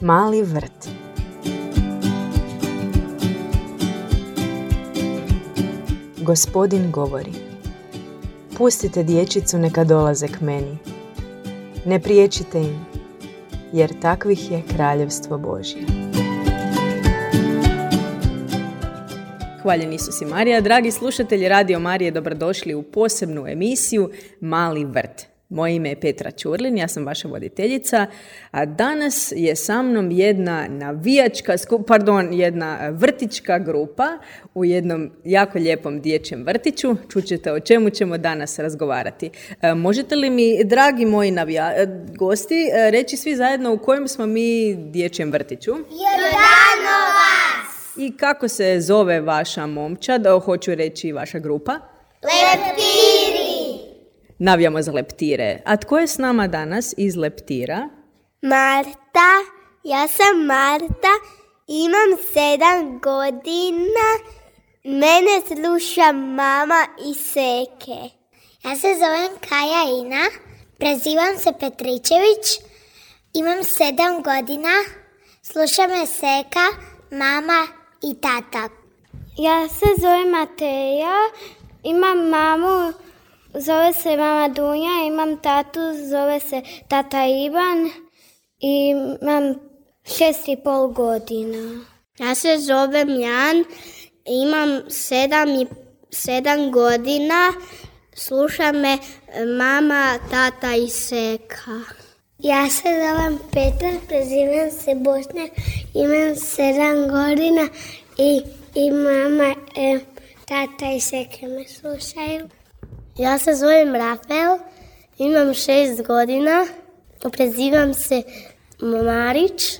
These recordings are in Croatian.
Mali vrt. Gospodin govori: pustite dječicu neka dolaze k meni. Ne priječite im, jer takvih je kraljevstvo Božje. Hvaljen Isus i Marija. Dragi slušatelji Radio Marije, dobrodošli u posebnu emisiju Mali vrt. Moje ime je Petra Ćurlin, ja sam vaša voditeljica, a danas je sa mnom jedna jedna vrtićka grupa u jednom jako lijepom dječjem vrtiću. Čućete o čemu ćemo danas razgovarati. Možete li mi, dragi moji gosti, reći svi zajedno u kojem smo mi dječjem vrtiću? Jordanovac! I kako se zove vaša momčad, hoću reći vaša grupa? Leptiri! Navijamo za Leptire. A tko je s nama danas iz Leptira? Marta. Ja sam Marta. Imam 7 godina. Mene sluša mama i Seke. Ja se zovem Kaja Ina. Prezivam se Petričević. Imam 7 godina. Sluša me Seka, mama i tata. Ja se zovem Mateja. Imam mamu. Zove se mama Dunja, imam tatu, zove se tata Ivan i imam 6,5 godina. Ja se zovem Jan, imam 7 godina, sluša me mama, tata i Seka. Ja se zovem Petar, prezivam se Bosna, imam 7 godina i mama, tata i Seka me slušaju. Ja se zovem Rafael, imam 6 godina, prezivam se Marić,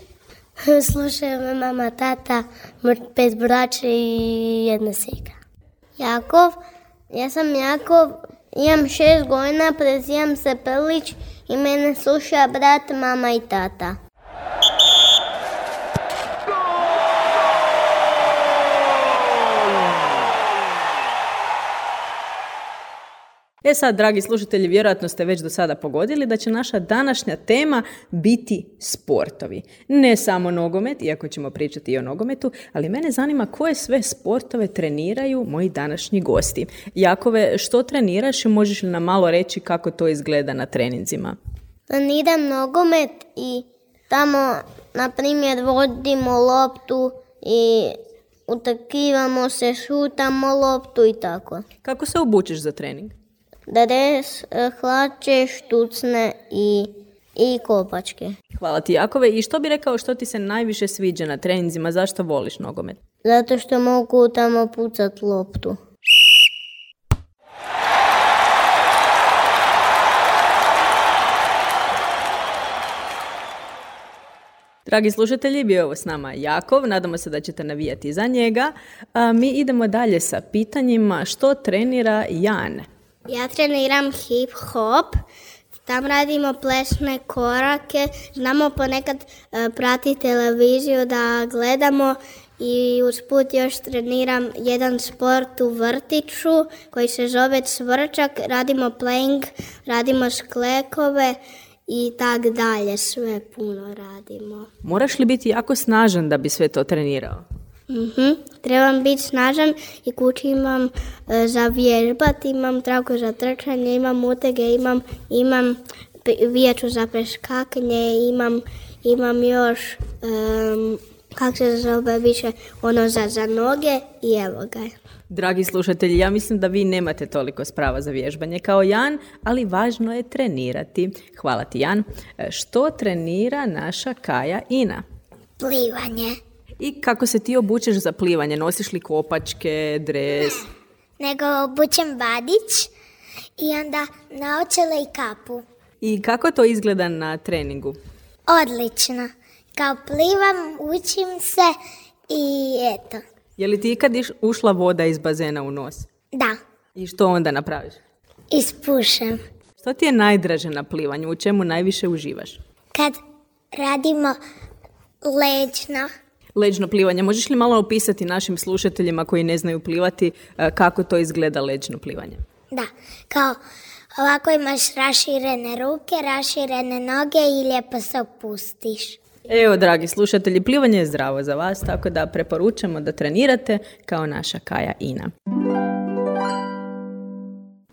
slušaju me mama, tata, 5 braće i 1 Seka. Jakov, ja sam Jakov, imam 6 godina, prezivam se Prlić i mene sluša brat, mama i tata. Sad, dragi slušatelji, vjerojatno ste već do sada pogodili da će naša današnja tema biti sportovi. Ne samo nogomet, iako ćemo pričati i o nogometu, ali mene zanima koje sve sportove treniraju moji današnji gosti. Jakove, što treniraš i možeš li nam malo reći kako to izgleda na treninzima? Treniram nogomet i tamo, na primjer, vodimo loptu i utrkivamo se, šutamo loptu i tako. Kako se obučeš za trening? Dres, hlače, štucne i kopačke. Hvala ti, Jakove. I što bi rekao što ti se najviše sviđa na treninzima? Zašto voliš nogomet? Zato što mogu tamo pucat loptu. Dragi slušatelji, bio je ovo s nama Jakov. Nadamo se da ćete navijati za njega. Mi idemo dalje sa pitanjima. Što trenira Jan? Ja treniram hip-hop, tam radimo plesne korake, znamo ponekad prati televiziju da gledamo i usput još treniram jedan sport u vrtiću koji se zove cvrčak, radimo playing, radimo sklekove i tak dalje, sve puno radimo. Moraš li biti jako snažan da bi sve to trenirao? Trebam biti snažan i kući imam za vježbat, imam traku za trčanje, imam utege, imam vijeću za preskakanje, imam još, kako se zove više, ono za noge i evo ga. Dragi slušatelji, ja mislim da vi nemate toliko sprava za vježbanje kao Jan, ali važno je trenirati. Hvala ti, Jan. Što trenira naša Kaja Ina? Plivanje. I kako se ti obučeš za plivanje? Nosiš li kopačke, dres? Nego obučem vadić i onda naočale i kapu. I kako to izgleda na treningu? Odlično. Kao plivam, učim se i eto. Je li ti ikad ušla voda iz bazena u nos? Da. I što onda napraviš? Ispušem. Što ti je najdraže na plivanju? U čemu najviše uživaš? Kad radimo leđno. Leđno plivanje. Možeš li malo opisati našim slušateljima koji ne znaju plivati kako to izgleda leđno plivanje? Da, kao ovako imaš raširene ruke, raširene noge i lijepo se opustiš. Evo, dragi slušatelji, plivanje je zdravo za vas, tako da preporučamo da trenirate kao naša Kaja Ina.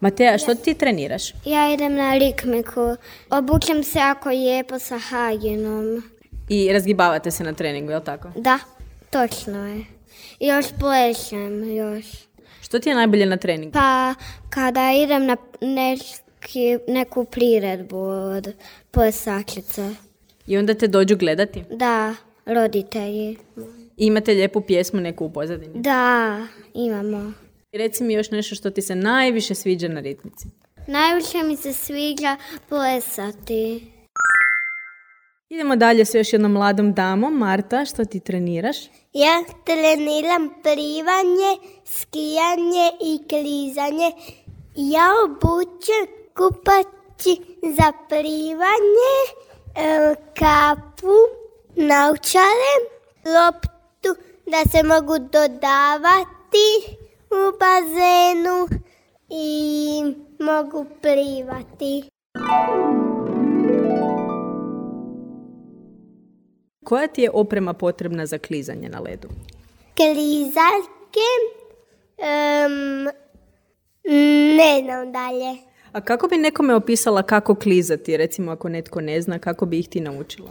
Mateja, što ti treniraš? Ja idem na rikmiku. Obučem se jako lijepo sa haginom. I razgibavate se na treningu, je li tako? Da, točno je. I još plešem još. Što ti je najbolje na treningu? Pa kada idem na neku priredbu od plesačica. I onda te dođu gledati? Da, roditelji. I imate lijepu pjesmu neku u pozadini? Da, imamo. I reci mi još nešto što ti se najviše sviđa na ritmici. Najviše mi se sviđa plesati. Idemo dalje s još jednom mladom damom. Marta, što ti treniraš? Ja treniram plivanje, skijanje i klizanje. Ja obučem kupaći za plivanje, kapu, naočare, loptu da se mogu dodavati u bazenu i mogu plivati. Koja ti je oprema potrebna za klizanje na ledu? Klizaljke, ne znam dalje. A kako bi nekome opisala kako klizati, recimo ako netko ne zna, kako bi ih ti naučila?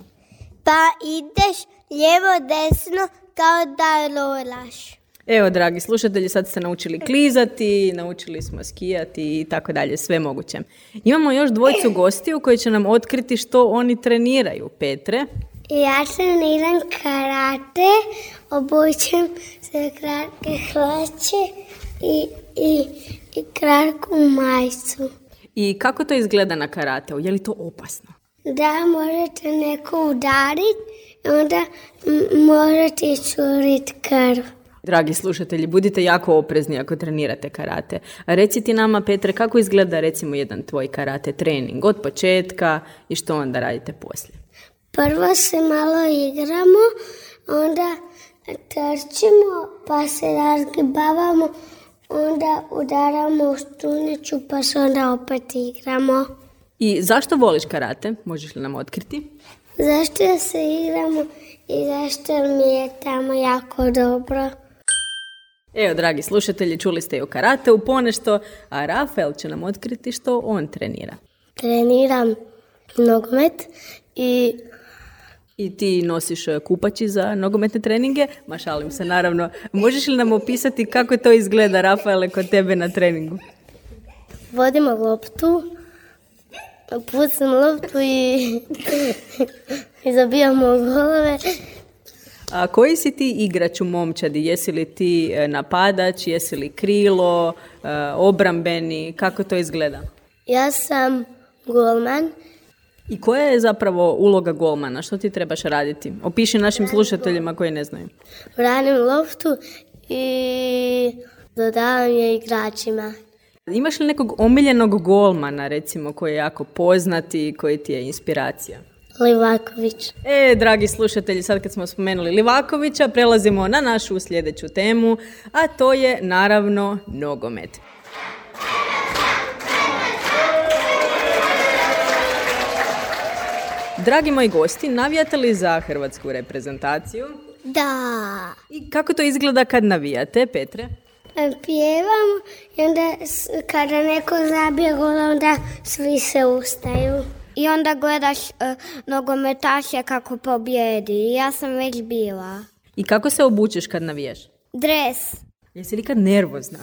Pa ideš lijevo desno kao da rolaš. Evo, dragi slušatelji, sad ste naučili klizati, naučili smo skijati i tako dalje, sve moguće. Imamo još dvojicu gostiju koji će nam otkriti što oni treniraju. Petre? Ja treniram karate, obučem se kratke hlače i kratku majicu. I kako to izgleda na karateu? Je li to opasno? Da, možete neko udariti, onda možete iscuriti krv. Dragi slušatelji, budite jako oprezni ako trenirate karate. A reci ti nama, Petre, kako izgleda recimo jedan tvoj karate trening od početka i što onda radite poslije? Prvo se malo igramo, onda trčimo, pa se razgibavamo, onda udaramo u stunicu, pa se onda opet igramo. I zašto voliš karate? Možeš li nam otkriti? Zašto se igramo i zašto mi je tamo jako dobro. Evo, dragi slušatelji, čuli ste i o karateu ponešto, a Rafael će nam otkriti što on trenira. Treniram nogomet i ti nosiš kupači za nogometne treninge? Ma šalim se, naravno. Možeš li nam opisati kako to izgleda, Rafaele, kod tebe na treningu? vodimo loptu, pucam loptu i zabijamo golove. A koji si ti igrač u momčadi? Jesi li ti napadač, jesi li krilo, obrambeni? Kako to izgleda? Ja sam golman. I koja je zapravo uloga golmana? Što ti trebaš raditi? Opiši našim slušateljima koji ne znaju. Branim loptu i dodavam je igračima. Imaš li nekog omiljenog golmana, recimo, koji je jako poznat i koji ti je inspiracija? Livaković. Dragi slušatelji, sad kad smo spomenuli Livakovića, prelazimo na našu sljedeću temu, a to je naravno nogomet. Dragi moji gosti, navijate li za hrvatsku reprezentaciju? Da. I kako to izgleda kad navijate, Petre? Pjevamo i onda kada neko zabije gol, onda svi se ustaju. I onda gledaš nogometaše kako pobjedi. Ja sam već bila. I kako se obučeš kad navijaš? Dres. Jesi li kad nervozna?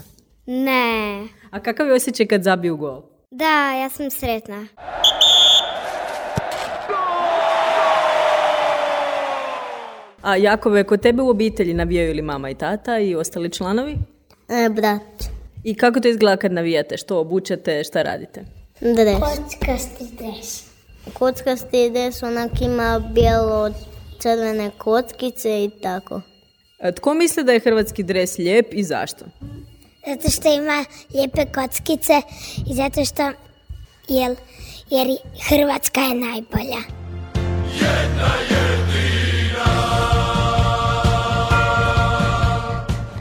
Ne. A kakav je osjećaj kad zabiju gol? Da, ja sam sretna. A Jakove, kod tebe u obitelji navijaju li mama i tata i ostali članovi? Brat. I kako to izgleda kad navijate? Što obučete, šta radite? Dres. Kockasti dres. Kockasti dres, onak ima bijelo crvene kockice i tako. A tko misli da je hrvatski dres lijep i zašto? Zato što ima lijepe kockice i zato što jer Hrvatska je najbolja. Jedna jedina.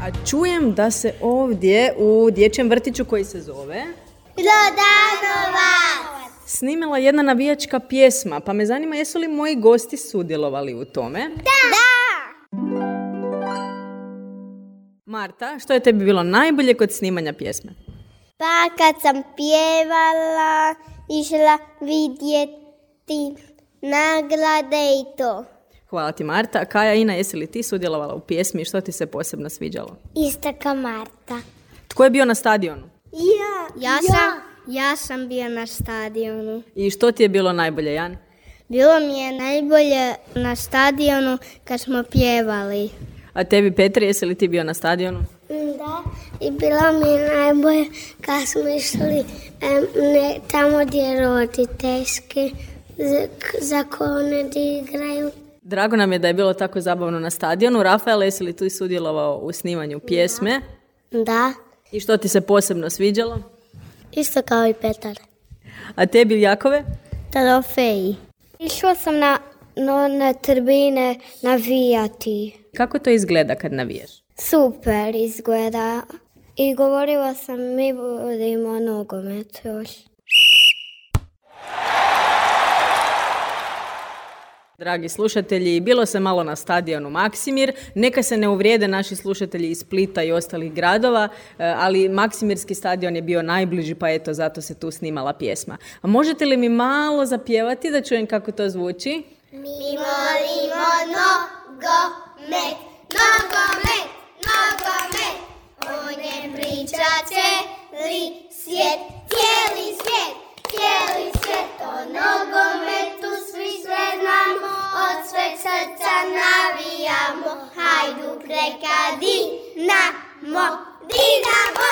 A čujem da se ovdje u dječjem vrtiću koji se zove Glodanovac. snimila jedna navijačka pjesma, pa me zanima jesu li moji gosti sudjelovali u tome? Da! Marta, što je tebi bilo najbolje kod snimanja pjesme? Pa kad sam pjevala, išla vidjeti nagrade i to. Hvala ti, Marta. Kaja, Ina, jesi li ti sudjelovala u pjesmi i što ti se posebno sviđalo? Isto kao Marta. Tko je bio na stadionu? Ja sam bio na stadionu. I što ti je bilo najbolje, Jan? Bilo mi je najbolje na stadionu kad smo pjevali. A tebi, Petre, jesi li ti bio na stadionu? Da, i bilo mi je najbolje kad smo išli tamo gdje roditeljski za kone gdje igraju. Drago nam je da je bilo tako zabavno na stadionu. Rafael, jesi li tu sudjelovao u snimanju pjesme? Da, I što ti se posebno sviđalo? isto kao i Petar. A tebi, Jakove? Trofeji. Išla sam na tribine navijati. Kako to izgleda kad navijaš? Super izgleda. I govorila sam, mi volimo nogomet još. Dragi slušatelji, bilo se malo na stadionu Maksimir. Neka se ne uvrijede naši slušatelji iz Splita i ostalih gradova, ali Maksimirski stadion je bio najbliži, pa eto, zato se tu snimala pjesma. A možete li mi malo zapjevati da čujem kako to zvuči? Mi volimo nogomet, nogomet, nogomet. O njem priča cijeli svijet, cijeli svijet, cijeli svijet. O nogometu svi sve znamo, od sveg srca navijamo. Hajduk neka Dinamo, Dinamo,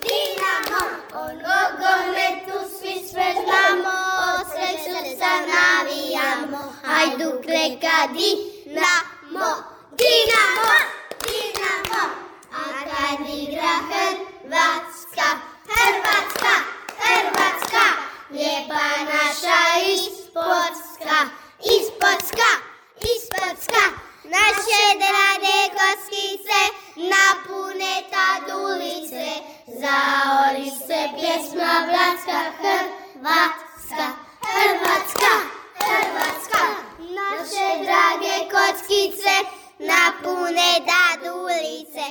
Dinamo. O nogometu svi sve znamo, od sveg srca navijamo. Hajduk neka Dinamo, Dinamo, Dinamo. A kad igra Hrvatska, Hrvatska, Hrvatska, lijepa naša ispodska, ispodska, ispodska. Naše drage kockice napune tad ulice, zaori se pjesma bratska. Hrvatska, Hrvatska, Hrvatska. Naše drage kockice napune tad ulice,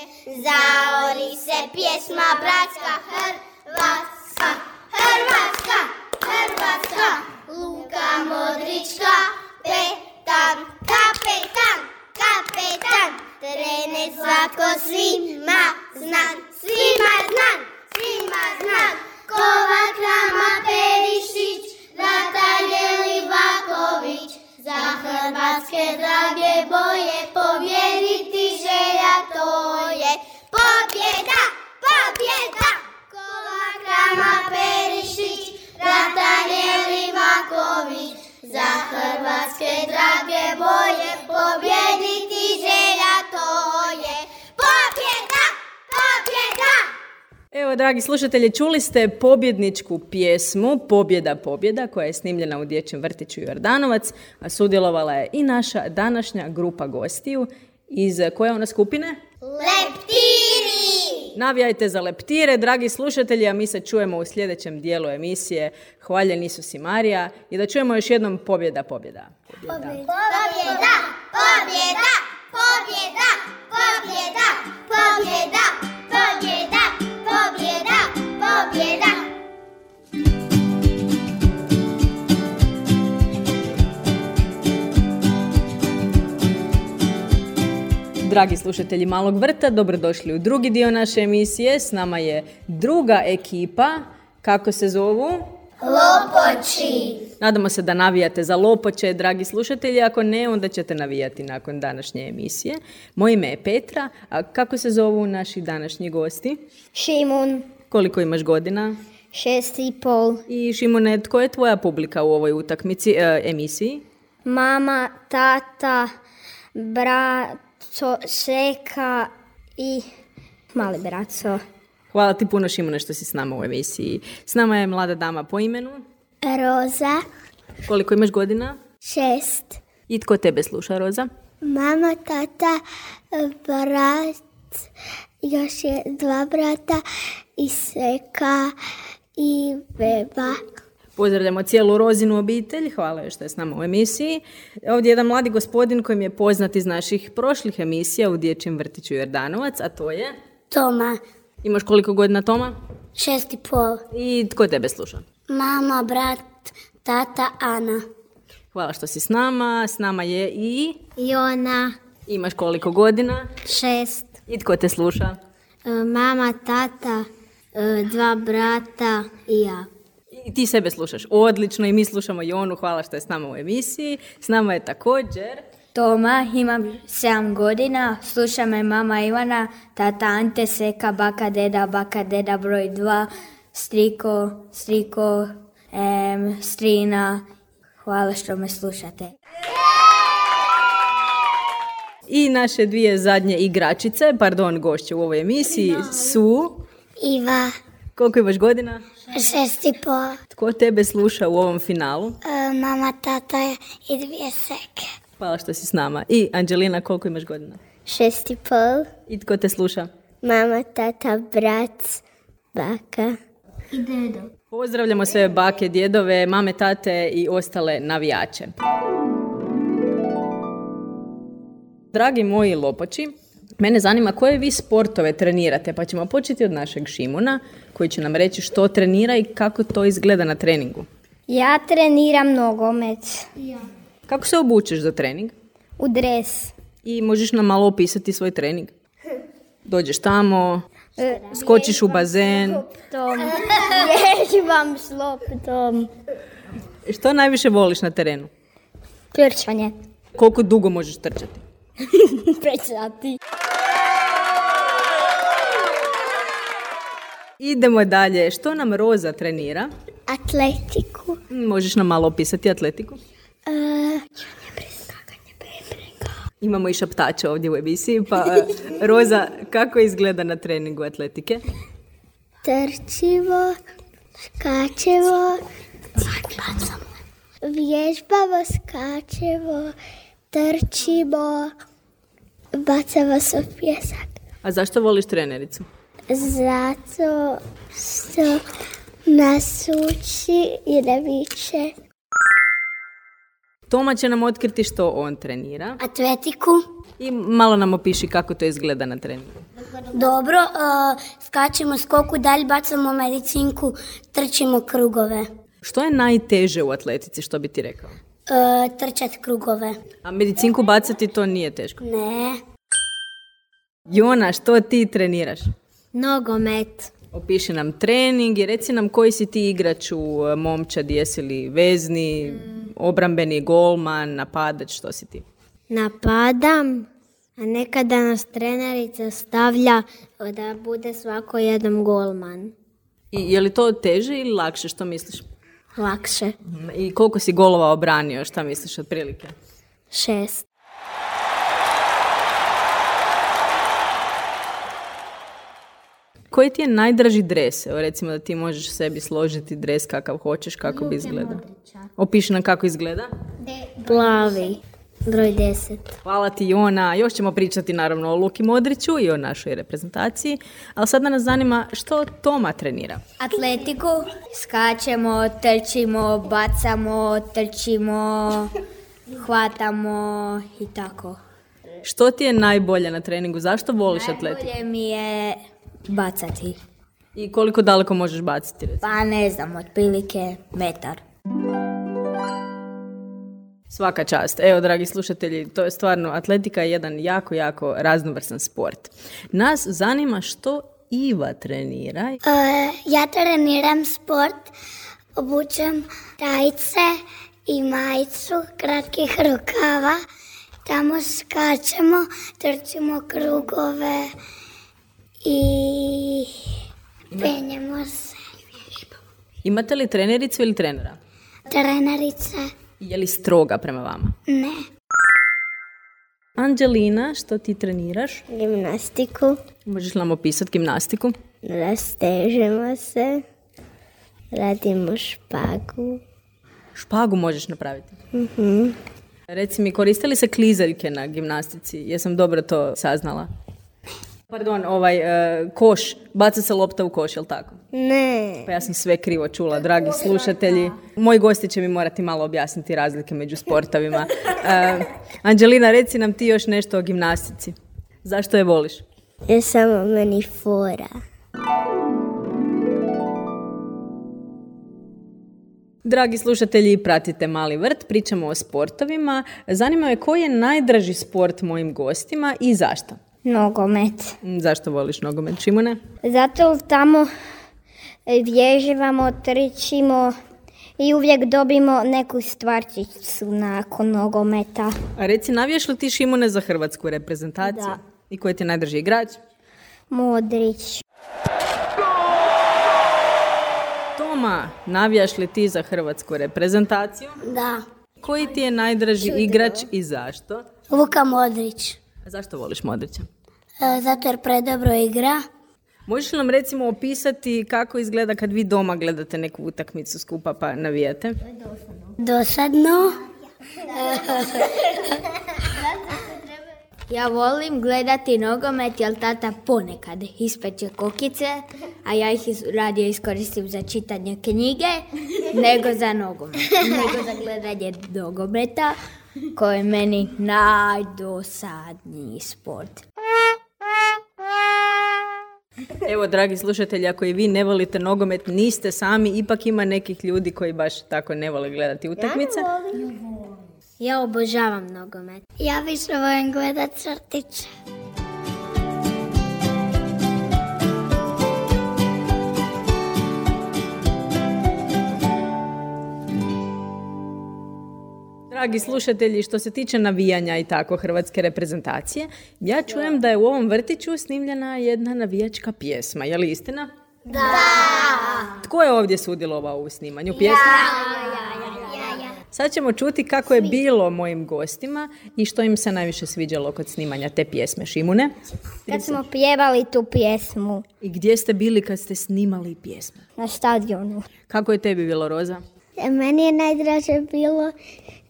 zaori se pjesma bratska. Hrvatska, Hrvatska, Hrvatska. Luka Modrić kapetan, kapetan, kapetan. Trener Zlatko svima znan, svima znan, svima znan. Kovač, Rama, Perišić, Zlatan Livaković. Za hrvatske drage boje pobjediti želja to je. Pobjeda, pobjeda. Kovač, Rama, Perišić, Zlatan Livaković. Za hrvatske drage boje pobjediti želja to je. Pobjeda, pobjeda. Evo, dragi slušatelji, čuli ste pobjedničku pjesmu Pobjeda, pobjeda, koja je snimljena u Dječjem vrtiću Jordanovac, a sudjelovala je i naša današnja grupa gostiju iz koje ona skupine? Leptiri! Navijajte za leptire, dragi slušatelji, a mi se čujemo u sljedećem dijelu emisije Hvaljen Isus i Marija i da čujemo još jednom pobjeda, pobjeda. Pobjeda, pobjeda, pobjeda, pobjeda, pobjeda, pobjeda, pobjeda, pobjeda, pobjeda. Dragi slušatelji Malog vrta, dobrodošli u drugi dio naše emisije. S nama je druga ekipa. Kako se zovu? Lopoči. Nadamo se da navijate za Lopoče, dragi slušatelji. Ako ne, onda ćete navijati nakon današnje emisije. Moje ime je Petra. A kako se zovu naši današnji gosti? Šimun. Koliko imaš godina? 6,5. I Šimone, tko je tvoja publika u ovoj emisiji? Mama, tata, braco, seka i mali braco. Hvala ti puno, Šimone, što si s nama u emisiji. S nama je mlada dama po imenu? Roza. Koliko imaš godina? 6. I tko tebe sluša, Roza? Mama, tata, brat, još je 2 brata i seka i beba. Pozdravljamo cijelu Rozinu obitelj, hvala joj što je s nama u emisiji. Ovdje je jedan mladi gospodin kojim je poznat iz naših prošlih emisija u Dječjem vrtiću Jordanovac, a to je... Toma, Imaš koliko godina, Toma? 6,5. I tko tebe sluša? Mama, brat, tata, Ana. Hvala što si s nama je i... Jona, Imaš koliko godina? 6. I tko te sluša? Mama, tata, 2 brata i ja. I ti sebe slušaš odlično i mi slušamo Jonu, hvala što je s nama u emisiji. S nama je također... Toma, imam 7 godina, sluša me mama Ivana, tata Ante, seka, baka, deda broj 2, striko, strina. Hvala što me slušate. I naše dvije zadnje igračice, gošće u ovoj emisiji su... Iva, Koliko imaš godina? 6,5. Tko tebe sluša u ovom finalu? Mama, tata i 2 seke. Hvala što si s nama. I Anđelina, koliko imaš godina? 6,5. I tko te sluša? Mama, tata, brat, baka. I dedo. Pozdravljamo sve bake, djedove, mame, tate i ostale navijače. Dragi moji lopoči, mene zanima koje vi sportove trenirate, pa ćemo početi od našeg Šimuna, koji će nam reći što trenira i kako to izgleda na treningu. Ja treniram nogomet. Kako se obučeš za trening? U dres. I možeš nam malo opisati svoj trening? Dođeš tamo, skočiš u bazen. Vježbam s loptom. Što najviše voliš na terenu? Trčanje. Koliko dugo možeš trčati? 5 sati. Idemo dalje. Što nam Roza trenira? Atletiku. Možeš nam malo opisati atletiku? Imamo i šaptača ovdje u emisiji, pa Roza, kako izgleda na treningu atletike? Trčivo, skačevo, vježbavo, skačevo, trčivo, bacavo se u pjesak. A zašto voliš trenericu? Zato što nas uči i da viče. Toma će nam otkriti što on trenira Atletiku. i malo nam opiši kako to izgleda na treningu. Dobro, skačemo skoku, dalje bacamo medicinku, trčimo krugove. Što je najteže u atletici, što bi ti rekao? Trčat krugove. A medicinku bacati to nije teško. Ne. Jona, što ti treniraš? Nogomet. Opiši nam trening i reci nam koji si ti igrač u momčadi, jesi li vezni, obrambeni, golman, napadač, što si ti? Napadam, a nekada nas trenerica stavlja da bude svako jedan golman. I je li to teže ili lakše, što misliš? Lakše. I koliko si golova obranio, šta misliš otprilike? 6. Koji ti je najdraži dres? Evo recimo da ti možeš sebi složiti dres kakav hoćeš, kako bi izgledao. Opiši nam kako izgleda. Plavi. Broj 10. Hvala ti Jona. Još ćemo pričati naravno o Luki Modriću i o našoj reprezentaciji. Ali sada nas zanima što Toma trenira. Atletiku, skačemo, trčimo, bacamo, trčimo, hvatamo i tako. Što ti je najbolje na treningu? Zašto voliš atletiku? Najbolje mi je bacati. I koliko daleko možeš baciti? Recimo? Pa ne znam, otprilike metar. Svaka čast. Evo, dragi slušatelji, to je stvarno, atletika je jedan jako, jako raznovrsan sport. Nas zanima što Iva trenira. Ja treniram sport, obučem rajce i majicu kratkih rukava. Tamo skačemo, trčimo krugove i penjemo se. Imate li trenericu ili trenera? Trenerice? Je li stroga prema vama? Ne. Anđelina, što ti treniraš? Gimnastiku. Možeš nam opisati gimnastiku? Rastežemo se, radimo špagu. Špagu možeš napraviti? Reci mi, koriste li se klizaljke na gimnastici? Jesam dobro to saznala? Pardon, koš, baca se lopta u koš, jel tako? Ne. Pa ja sam sve krivo čula, dragi slušatelji. Moji gosti će mi morati malo objasniti razlike među sportovima. Anđelina, reci nam ti još nešto o gimnastici. Zašto je voliš? Je samo meni fora. Dragi slušatelji, pratite Mali vrt, pričamo o sportovima. Zanima me koji je najdraži sport mojim gostima i zašto? Nogomet. Zašto voliš nogomet, Šimune? Zato tamo vježivamo, trčimo i uvijek dobimo neku stvarčicu nakon nogometa. A reci, navijaš li ti, Šimune, za hrvatsku reprezentaciju? Da. I koji ti je najdrži igrač? Modrić. Toma, navijaš li ti za hrvatsku reprezentaciju? Da. Koji ti je najdraži igrač i zašto? Luka Modrić. A zašto voliš Modrića? Zato jer predobro igra. Možeš li nam recimo opisati kako izgleda kad vi doma gledate neku utakmicu skupa pa navijate? Dosadno. Ja volim gledati nogomet jer tata ponekad ispeče kokice, a ja ih radije iskoristim za čitanje knjige nego za nogomet. Nego za gledanje nogometa koji je meni najdosadniji sport. Evo, dragi slušatelji, ako i vi ne volite nogomet, niste sami, ipak ima nekih ljudi koji baš tako ne vole gledati utakmice. Ja obožavam nogomet. Ja više volim gledat crtiće. Dragi slušatelji, što se tiče navijanja i tako hrvatske reprezentacije, ja čujem da je u ovom vrtiću snimljena jedna navijačka pjesma. Je li istina? Da. Tko je ovdje sudjelovao u snimanju pjesme? Sad ćemo čuti kako je bilo mojim gostima i što im se najviše sviđalo kod snimanja te pjesme. Šimune? Kad smo pjevali tu pjesmu I gdje ste bili kad ste snimali pjesmu? na stadionu. Kako je tebi bilo, Roza? Meni je najdraže bilo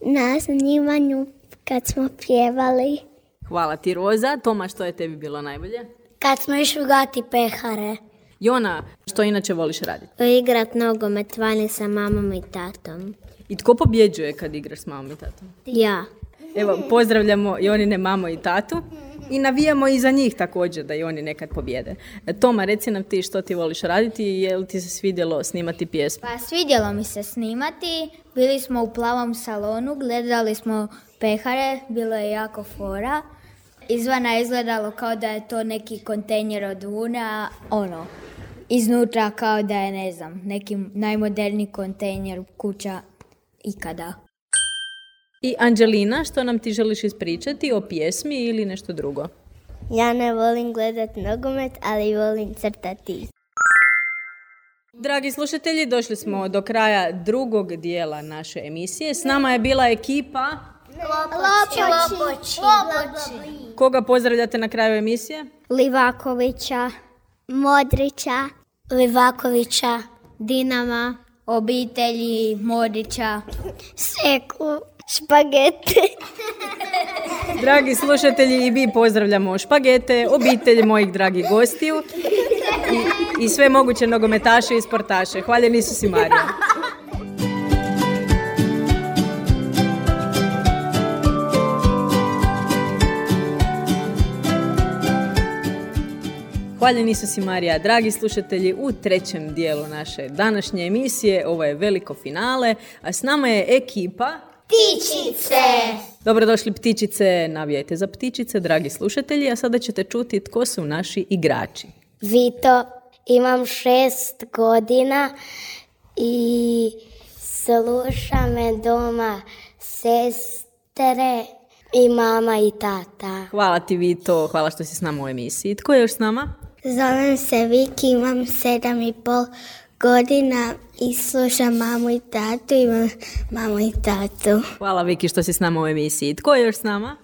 na snimanju kad smo pjevali. Hvala ti, Roza. Toma, što je tebi bilo najbolje? Kad smo išli gati pehare. Jona, što inače voliš raditi? Igrat nogomet vani sa mamom i tatom. I tko pobjeđuje kad igraš s mamom i tatom? Ja. Evo, pozdravljamo Jonine mamo i tatu i navijamo i za njih također da i oni nekad pobjede. Toma, reci nam ti što ti voliš raditi i je li ti se svidjelo snimati pjesmu? Pa svidjelo mi se snimati, bili smo u plavom salonu, gledali smo pehare, bilo je jako fora. Izvana je izgledalo kao da je to neki kontejner od vune, a iznutra kao da je, ne znam, neki najmoderniji kontejner kuća ikada. I Anđelina, što nam ti želiš ispričati o pjesmi ili nešto drugo? Ja ne volim gledat nogomet, ali volim crtati. Dragi slušatelji, došli smo do kraja drugog dijela naše emisije. S nama je bila ekipa. Lopoči. Koga pozdravljate na kraju emisije? Livakovića, Modrića. Livakovića. Dinama, obitelji Modića. Seku. Špagete. Dragi slušatelji, i mi pozdravljamo Špagete, obitelj mojih dragih gostiju i sve moguće nogometaše i sportaše. Hvaljeni Isus i Marija. Hvaljeni Isus i Marija, dragi slušatelji, u trećem dijelu naše današnje emisije. Ovo je veliko finale, a s nama je ekipa Ptičice. Dobrodošli ptičice, navijajte za ptičice, dragi slušatelji, a sada ćete čuti tko su naši igrači. Vito, imam 6 godina i sluša me doma sestre i mama i tata. Hvala ti, Vito, hvala što si s nama u emisiji. Tko je još s nama? Zovem se Viki, imam 7,5 godina i slušam mamu i tatu, imam mamu i tatu. Hvala, Viki, što si s nama u emisiji. Tko je još s nama?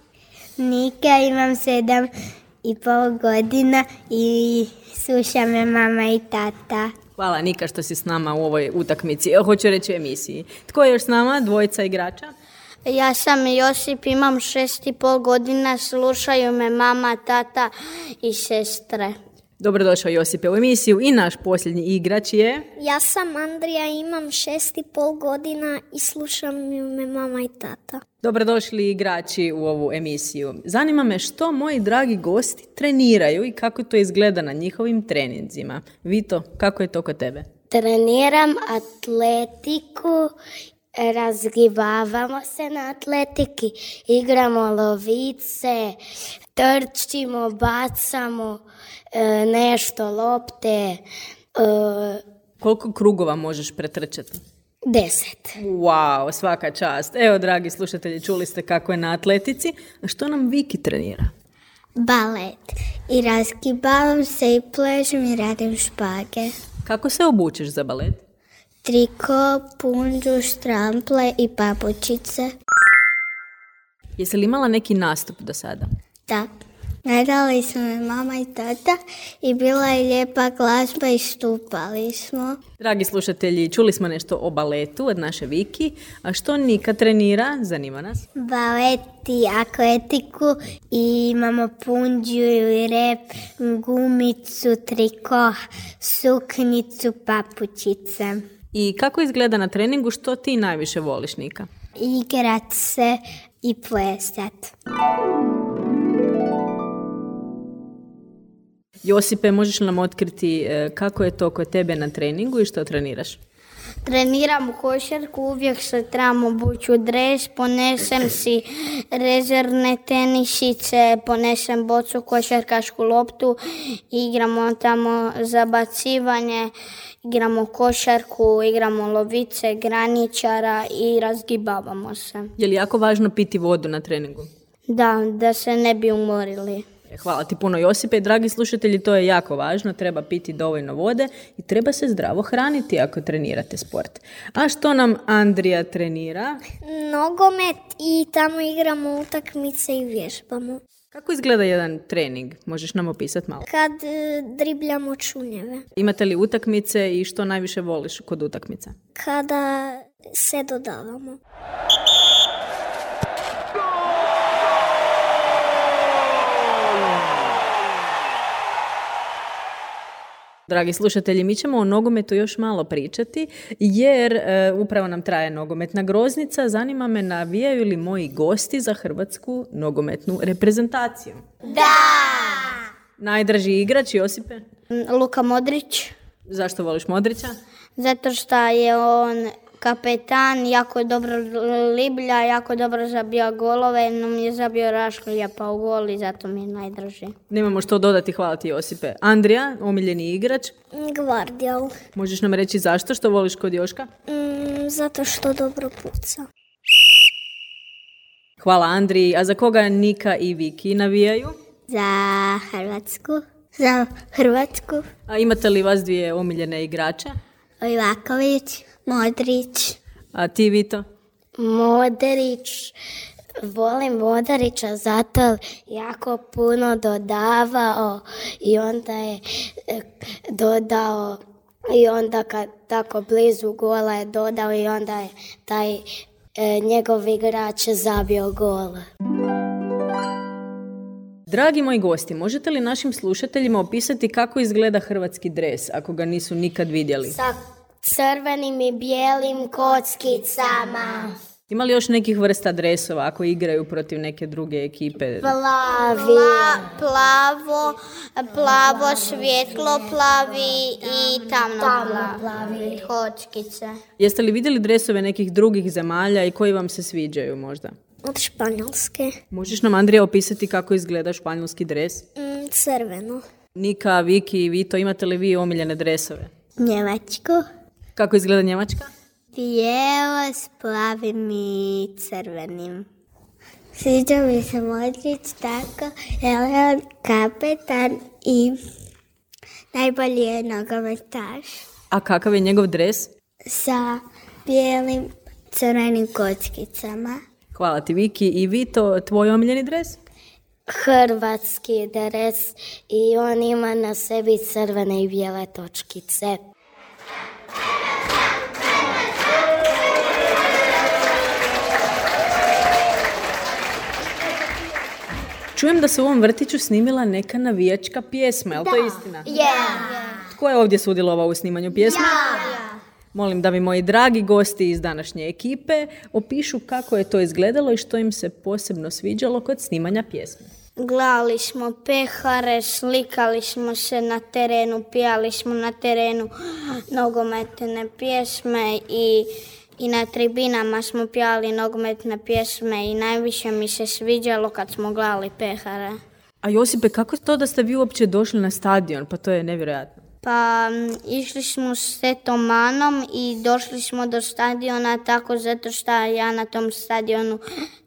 Nika, imam 7,5 godina i sluša me mama i tata. Hvala, Nika, što si s nama u ovoj utakmici, hoću reći u emisiji. Tko je još s nama? Dvojica igrača? Ja sam Josip, imam 6,5 godina, slušaju me mama, tata i sestre. Dobrodošao Josipe u emisiju i naš posljednji igrač je... Ja sam Andrija, imam 6,5 godina i slušam me mama i tata. Dobrodošli igrači u ovu emisiju. Zanima me što moji dragi gosti treniraju i kako to izgleda na njihovim treninzima. Vito, kako je to kod tebe? Treniram atletiku, razgibavamo se na atletiki, igramo lovice, trčimo, bacamo nešto, lopte. Koliko krugova možeš pretrčati? 10. Wow, svaka čast. Evo, dragi slušatelji, čuli ste kako je na atletici. A što nam Viki trenira? Balet. I razgibavam se i pležem i radim špage. Kako se obučeš za balet? Triko, punđu, štrample i papučice. Jesi li imala neki nastup do sada? Da. Gledali su me mama i tata i bila je lijepa glazba i stupali smo. Dragi slušatelji, čuli smo nešto o baletu od naše Viki. A što Nika trenira? Zanima nas. Balet i atletiku i imamo punđu i rep, gumicu, triko, suknicu, papučice. I kako izgleda na treningu? Što ti najviše voliš, Nika? Igrat se i plesat. Josipe, možeš li nam otkriti kako je to kod tebe na treningu i što treniraš? Treniram košarku, uvijek se trebam obući u dres, ponesem si rezervne tenisice, ponesem bocu, košarkašku loptu, igramo tamo zabacivanje, igramo košarku, igramo lovice, graničara i razgibavamo se. Je li jako važno piti vodu na treningu? Da se ne bi umorili. Hvala ti puno, Josipe. Dragi slušatelji, to je jako važno. Treba piti dovoljno vode i treba se zdravo hraniti ako trenirate sport. A što nam Andrija trenira? Nogomet i tamo igramo utakmice i vježbamo. Kako izgleda jedan trening? Možeš nam opisati malo? Kad dribljamo čunjeve. Imate li utakmice i što najviše voliš kod utakmica? Kada se dodavamo. Dragi slušatelji, mi ćemo o nogometu još malo pričati, jer upravo nam traje nogometna groznica. Zanima me, navijaju li moji gosti za hrvatsku nogometnu reprezentaciju? Da! Najdraži igrač, Josipe? Luka Modrić. Zašto voliš Modrića? Zato što je on kapetan, jako dobro liblja, jako dobro zabija golove, no mi je zabio Raškolja pa u gol i zato mi je najdraži. Nemamo što dodati, hvala ti Josipe. Andrija, omiljeni igrač? Gvardiol. Možeš nam reći zašto, što voliš kod Joška? Zato što dobro puca. Hvala Andriji, a za koga Nika i Viki navijaju? Za Hrvatsku. Za Hrvatsku. A imate li vas dvije omiljene igrače? Livaković, Modrić. A ti, Vito? Modrić. Volim Modrića zato jako puno dodavao i onda je dodao i onda kad tako blizu gola je dodao i onda je taj njegov igrač zabio gola. Dragi moji gosti, možete li našim slušateljima opisati kako izgleda hrvatski dres, ako ga nisu nikad vidjeli? Sa crvenim i bijelim kockicama. Ima li još nekih vrsta dresova ako igraju protiv neke druge ekipe? Plavo, svjetlo plavi i tamno plavi kockice. Jeste li vidjeli dresove nekih drugih zemalja i koji vam se sviđaju možda? Od Španjolske. Možeš nam, Andrija, opisati kako izgleda španjolski dres? Crveno. Nika, Viki i Vito, imate li vi omiljene dresove? Njemačku. Kako izgleda Njemačka? Bijelo s plavim i crvenim. Sviđa mi se Modrić tako, jer je on kapetan i najbolji je nogometaš. A kakav je njegov dres? Sa bijelim crvenim kockicama. Hvala ti, Viki. I Vito, tvoj omiljeni dres? Hrvatski dres i on ima na sebi crvene i bijele točkice. Čujem da se u ovom vrtiću snimila neka navijačka pjesma, je li to istina? Tko je ovdje sudjelovao u snimanju pjesme? Molim da mi moji dragi gosti iz današnje ekipe opišu kako je to izgledalo i što im se posebno sviđalo kod snimanja pjesme. Gledali smo pehare, slikali smo se na terenu, pijali smo na terenu nogometne pjesme i na tribinama smo pijali nogometne pjesme i najviše mi se sviđalo kad smo gledali pehare. A Josipe, kako je to da ste vi uopće došli na stadion? Pa to je nevjerojatno. Pa išli smo s tetom Manom i došli smo do stadiona tako zato što ja na tom stadionu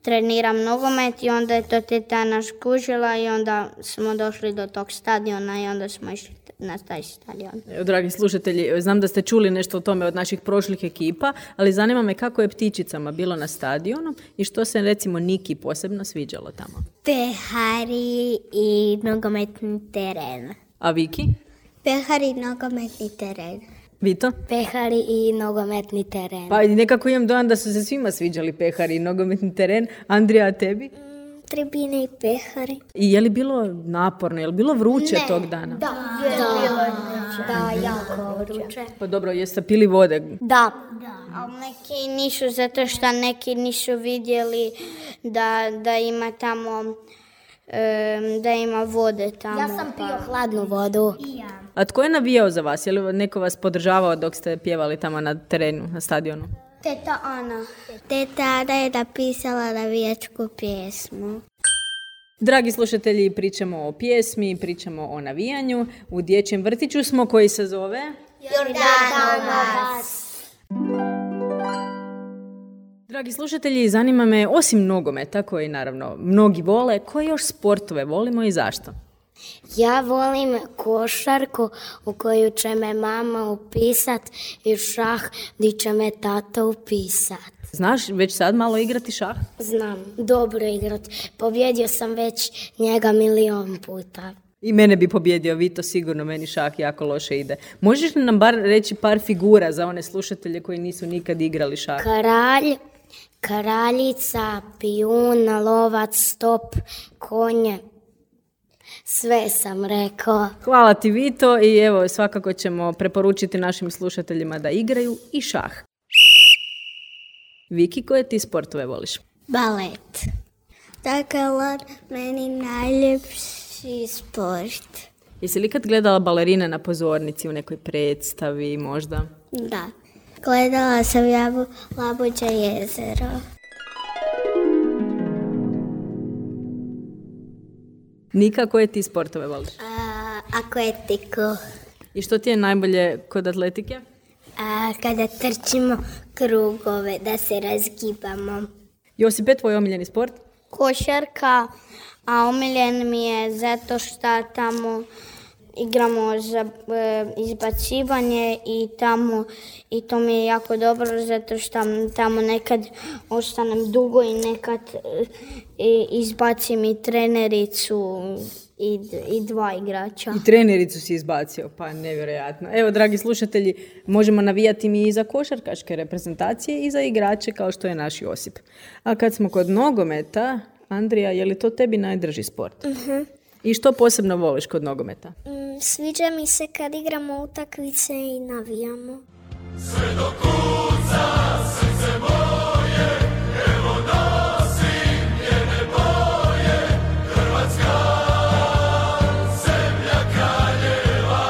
treniram nogomet i onda je to teta nas kužila i onda smo došli do tog stadiona i onda smo išli na taj stadion. Dragi slušatelji, znam da ste čuli nešto o tome od naših prošlih ekipa, ali zanima me kako je ptičicama bilo na stadionu i što se recimo Niki posebno sviđalo tamo. Pehari i nogometni teren. A Viki? Pehari i nogometni teren. Vito? Pehari i nogometni teren. Pa nekako imam dojam da su se svima sviđali pehari i nogometni teren. Andrija, a tebi? Tribine i pehari. I je li bilo naporno, je li bilo vruće tog dana? Da, jako vruće. Pa dobro, jeste pili vode? Da. Ali neki nisu, zato što neki nisu vidjeli da ima tamo, da ima vode tamo. Ja sam pio hladnu vodu. A tko je navijao za vas? Je li neko vas podržavao dok ste pjevali tamo na terenu, na stadionu? Teta Ana. Teta Ana je napisala navijačku pjesmu. Dragi slušatelji, pričamo o pjesmi, pričamo o navijanju. U dječjem vrtiću smo koji se zove Jordanovac. Dragi slušatelji, zanima me, osim nogometa, koji naravno mnogi vole, koje još sportove volimo i zašto? Ja volim košarku u koju će me mama upisat i šah gdje će me tata upisat. Znaš već sad malo igrati šah? Znam, dobro igrat. Pobjedio sam već njega 1.000.000 puta. I mene bi pobjedio Vito, sigurno meni šah jako loše ide. Možeš li nam bar reći par figura za one slušatelje koji nisu nikad igrali šah? Kralj, kraljica, pijun, lovac, stop, konje. Sve sam rekao. Hvala ti Vito i evo svakako ćemo preporučiti našim slušateljima da igraju i šah. Viki, koje ti sportove voliš? Balet. Dakle, meni najljepši sport. Jesi li kad gledala balerine na pozornici u nekoj predstavi možda? Da. Gledala sam Labuđe jezero. Nika, koje ti sportove voliš? Atletiku. I što ti je najbolje kod atletike? Kada trčimo krugove, da se razgibamo. Josipe, tvoj omiljeni sport? Košarka, a omiljen mi je zato što tamo igramo za izbacivanje i to mi je jako dobro zato što tamo nekad ostanem dugo i nekad izbacim i trenericu i 2 igrača. I trenericu si izbacio, pa nevjerojatno. Evo, dragi slušatelji, možemo navijati mi i za košarkaške reprezentacije i za igrače kao što je naš Josip. A kad smo kod nogometa, Andrija, je li to tebi najdraži sport? I što posebno voliš kod nogometa? Sviđa mi se kad igramo utakmice i navijamo. Sve do kuca, srce moje, evo nosim njene boje, Hrvatska, zemlja kraljeva.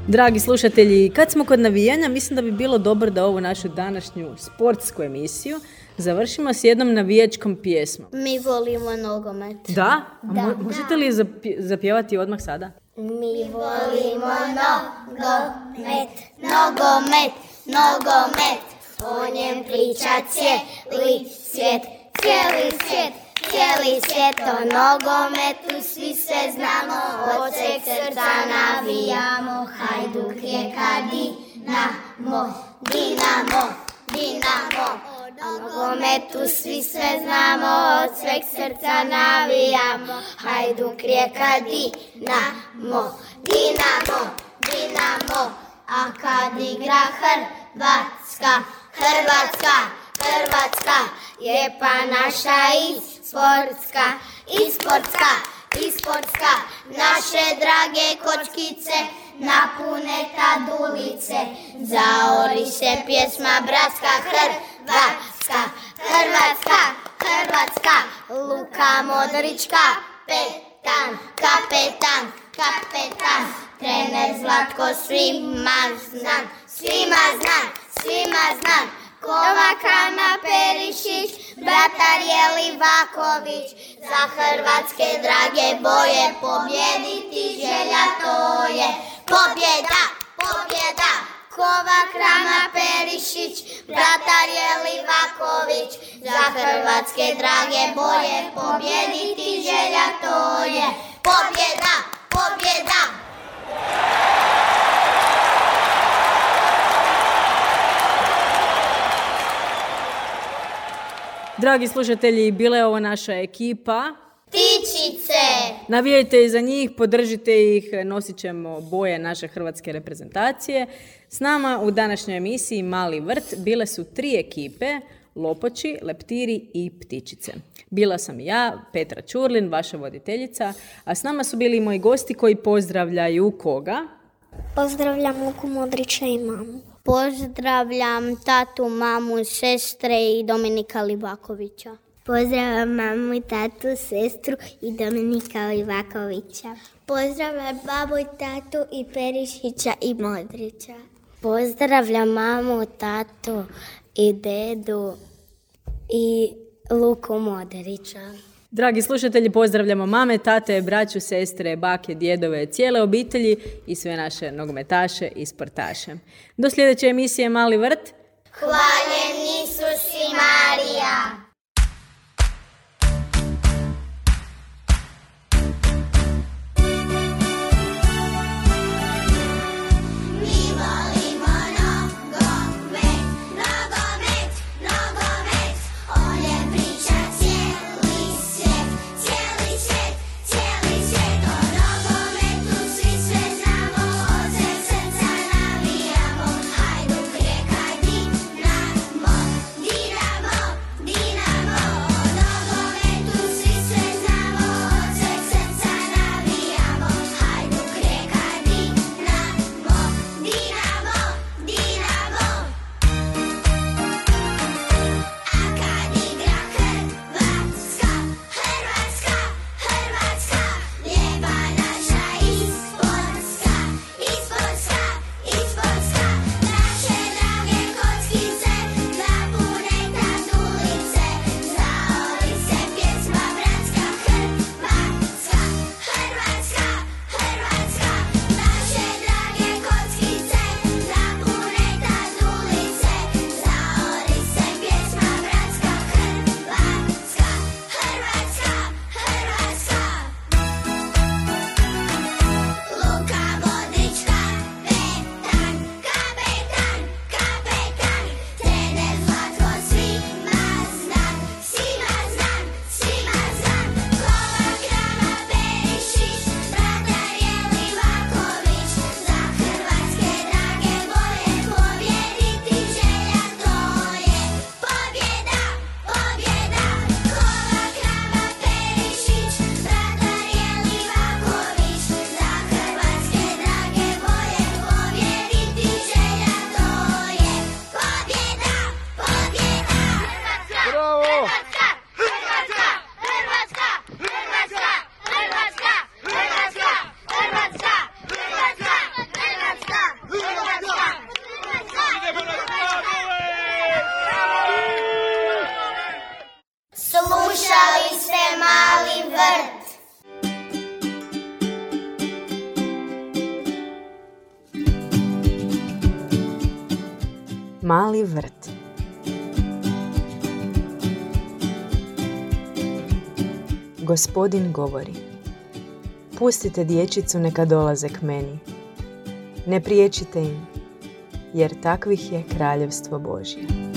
Dragi slušatelji, kad smo kod navijanja, mislim da bi bilo dobro da ovu našu današnju sportsku emisiju završimo s jednom navijačkom pjesmom. Mi volimo nogomet. Da? Možete li zapjevati odmah sada? Mi volimo nogomet, nogomet, nogomet. O njem priča cijeli svijet, cijeli svijet, cijeli svijet. O nogometu svi se znamo, od sveg srca navijamo. Hajduk, Rijeka, Dinamo, Dinamo, Dinamo. O nogometu svi se znamo, od sveg srca navijamo. Hajduk, Rijeka, Dinamo, Dinamo, Dinamo. A kad igra Hrvatska, Hrvatska, Hrvatska, lijepa naša i sportska, naše drage kočkice, napune tadulice, zaori se pjesma bratska, Hrvatska, Luka Modrić, kapetan, trener Zlatko svima znan, Kovac Rama Perišić, bratar Jelivaković, za hrvatske drage boje pobjediti želja to je. Pobjeda, Kovac Rama Perišić, bratar Jelivaković, za hrvatske drage boje pobjediti želja to je. Pobjeda! Dragi slušatelji, bila je ovo naša ekipa. Ptičice! Navijajte za njih, podržite ih, nosit ćemo boje naše hrvatske reprezentacije. S nama u današnjoj emisiji Mali vrt bile su 3 ekipe, Lopoči, Leptiri i Ptičice. Bila sam ja, Petra Ćurlin, vaša voditeljica, a s nama su bili moji gosti koji pozdravljaju koga? Pozdravljam Luku Modrića i mamu. Pozdravljam tatu, mamu, sestre i Dominika Livakovića. Pozdravljam mamu i tatu, sestru i Dominika Livakovića. Pozdravljam babu i tatu i Perišića i Modrića. Pozdravljam mamu, tatu i dedu i Luku Modrića. Dragi slušatelji, pozdravljamo mame, tate, braću, sestre, bake, djedove, cijele obitelji i sve naše nogometaše i sportaše. Do sljedeće emisije Mali vrt. Hvaljen Isus i Marija! Slušali ste Mali vrt. Mali vrt. Gospodin govori: pustite dječicu neka dolaze k meni. Ne priječite im, jer takvih je kraljevstvo Božje.